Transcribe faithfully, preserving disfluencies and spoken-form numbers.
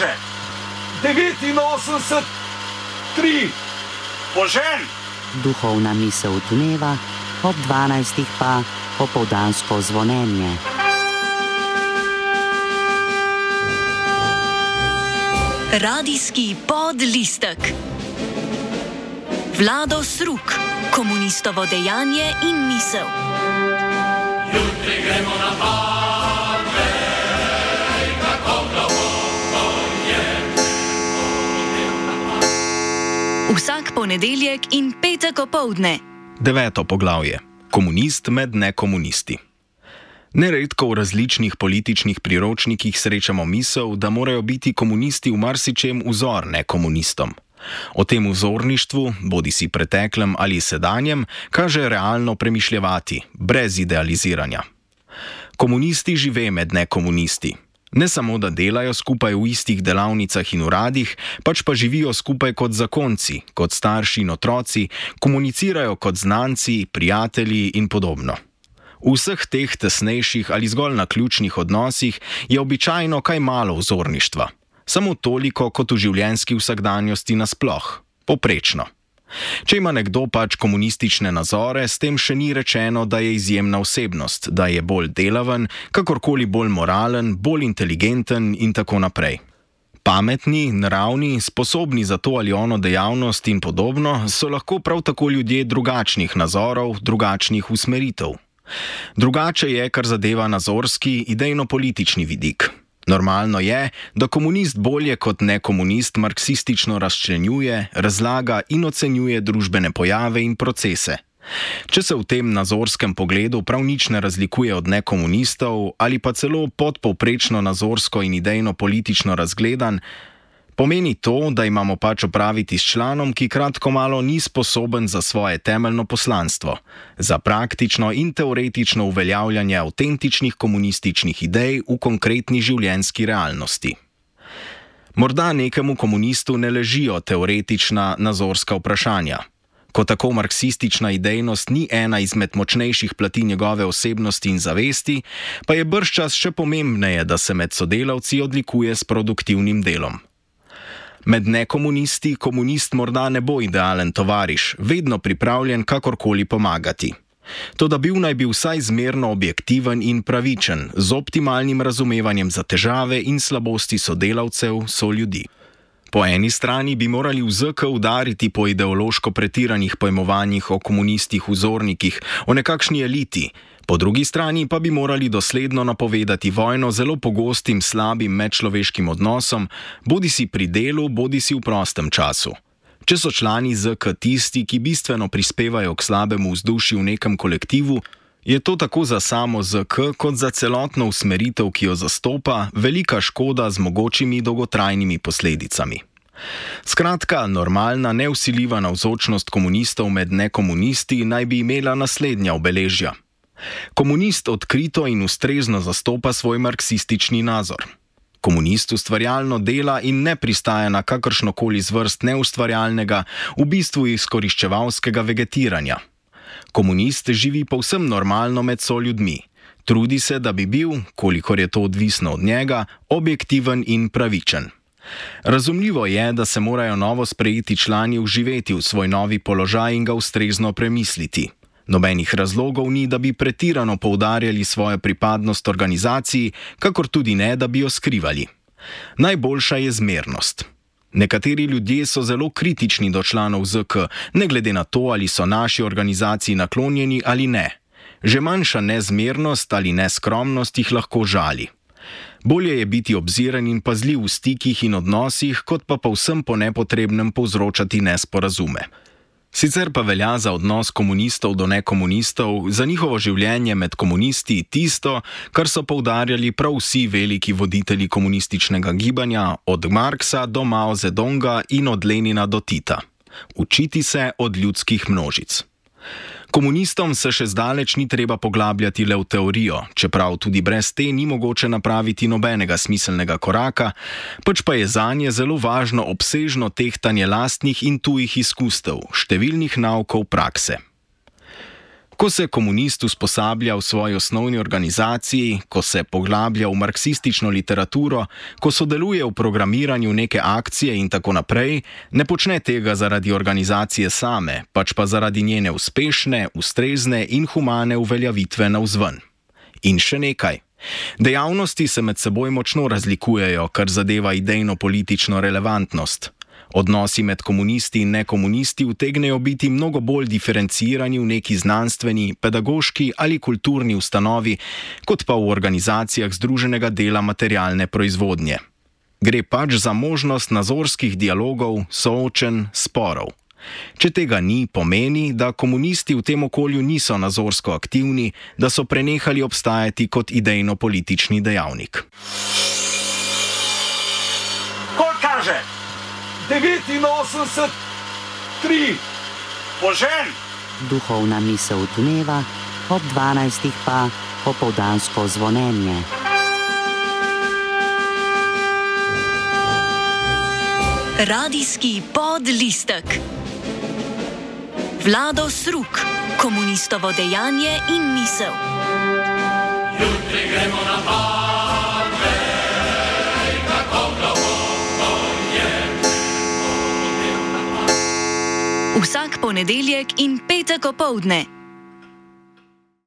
Bože! devetinosemdeset tri. Požen! Duhovna misel dneva, ob dvanajstih pa popoldansko zvonjenje. Radijski podlistek. Vlado Sruk, komunistovo dejanje in misel. Jutri gremo na Patej, kako globoko je. Vsak ponedeljek in petek opoldne. Deveto poglavje. Komunist med nekomunisti. Neredko v različnih političnih priročnikih srečamo misel, da morajo biti komunisti v marsičem vzor nekomunistom. O tem vzorništvu, bodisi preteklem ali sedanjem, kaže realno premišljevati, brez idealiziranja. Komunisti žive med nekomunisti. Ne samo, da delajo skupaj v istih delavnicah in uradih, pač pa živijo skupaj kot zakonci, kot starši in otroci, komunicirajo kot znanci, prijatelji in podobno. V vseh teh tesnejših ali zgolj naključnih odnosih je običajno kaj malo vzorništva. Samo toliko kot v življenjski vsakdanjosti nasploh. Poprečno. Če ima nekdo pač komunistične nazore, s tem še ni rečeno, da je izjemna osebnost, da je bolj delaven, kakorkoli bolj moralen, bolj inteligenten in tako naprej. Pametni, naravni, sposobni za to ali ono dejavnost in podobno so lahko prav tako ljudje drugačnih nazorov, drugačnih usmeritev. Drugače je, kar zadeva nazorski, idejno-politični vidik. Normalno je, da komunist bolje kot nekomunist marksistično razčlenjuje, razlaga in ocenjuje družbene pojave in procese. Če se v tem nazorskem pogledu prav nič ne razlikuje od nekomunistov ali pa celo podpovprečno nazorsko in idejno-politično razgledan, pomeni to, da imamo pač opraviti s članom, ki kratko malo ni sposoben za svoje temeljno poslanstvo, za praktično in teoretično uveljavljanje avtentičnih komunističnih idej v konkretni življenjski realnosti. Morda nekemu komunistu ne ležijo teoretična nazorska vprašanja. Ko tako marksistična idejnost ni ena izmed močnejših plati njegove osebnosti in zavesti, pa je bržčas še pomembneje, da se med sodelavci odlikuje s produktivnim delom. Med nekomunisti komunist morda ne bo idealen tovariš, vedno pripravljen kakorkoli pomagati. Toda bil naj bi vsaj zmerno objektiven in pravičen, z optimalnim razumevanjem za težave in slabosti sodelavcev, soljudi. Po eni strani bi morali v Z K udariti po ideološko pretiranih pojmovanjih o komunistih vzornikih, o nekakšni eliti, po drugi strani pa bi morali dosledno napovedati vojno zelo pogostim slabim medčloveškim odnosom, bodisi pri delu, bodisi v prostem času. Če so člani Z K tisti, ki bistveno prispevajo k slabemu vzdušju v nekem kolektivu, je to tako za samo Z K kot za celotno usmeritev, ki jo zastopa, velika škoda z mogočimi dolgotrajnimi posledicami. Skratka, normalna, nevsiljiva navzočnost komunistov med nekomunisti naj bi imela naslednja obeležja. Komunist odkrito in ustrezno zastopa svoj marksistični nazor. Komunist ustvarjalno dela in ne pristaja na kakršnokoli zvrst neustvarjalnega, v bistvu izkoriščevalskega vegetiranja. Komunist živi povsem normalno med soljudmi. Trudi se, da bi bil, kolikor je to odvisno od njega, objektiven in pravičen. Razumljivo je, da se morajo novo sprejeti člani vživeti v svoj novi položaj in ga ustrezno premisliti. Nobenih razlogov ni, da bi pretirano poudarjali svojo pripadnost organizaciji, kakor tudi ne, da bi jo skrivali. Najboljša je zmernost. Nekateri ljudje so zelo kritični do članov Z K, ne glede na to, ali so naši organizaciji naklonjeni ali ne. Že manjša nezmernost ali neskromnost jih lahko žali. Bolje je biti obziren in pazljiv v stikih in odnosih, kot pa povsem po nepotrebnem povzročati nesporazume. Sicer pa velja za odnos komunistov do nekomunistov, za njihovo življenje med komunisti tisto, kar so poudarjali prav vsi veliki voditelji komunističnega gibanja, od Marksa do Mao Zedonga in od Lenina do Tita. Učiti se od ljudskih množic. Komunistom se še zdaleč ni treba poglabljati le v teorijo, čeprav tudi brez te ni mogoče napraviti nobenega smiselnega koraka, pač pa je zanje zelo važno obsežno tehtanje lastnih in tujih izkustev, številnih naukov prakse. Ko se komunist usposablja v svoji osnovni organizaciji, ko se poglablja v marksistično literaturo, ko sodeluje v programiranju neke akcije in tako naprej, ne počne tega zaradi organizacije same, pač pa zaradi njene uspešne, ustrezne in humane uveljavitve navzven. In še nekaj. Dejavnosti se med seboj močno razlikujejo, kar zadeva idejno-politično relevantnost. Odnosi med komunisti in nekomunisti utegnejo biti mnogo bolj diferencirani v neki znanstveni, pedagoški ali kulturni ustanovi, kot pa v organizacijah združenega dela materialne proizvodnje. Gre pač za možnost nazorskih dialogov, soočenj, sporov. Če tega ni, pomeni, da komunisti v tem okolju niso nazorsko aktivni, da so prenehali obstajati kot idejno-politični dejavnik. Koliko kaže? devetinosemdeset tri. Požen! Duhovna misel dneva, ob dvanajstih pa popoldansko zvonjenje. Radijski podlistek. Vlado Sruk, komunistovo dejanje in misel. Jutri gremo na pade, kako globoko je. Vsak ponedeljek in petek opoldne.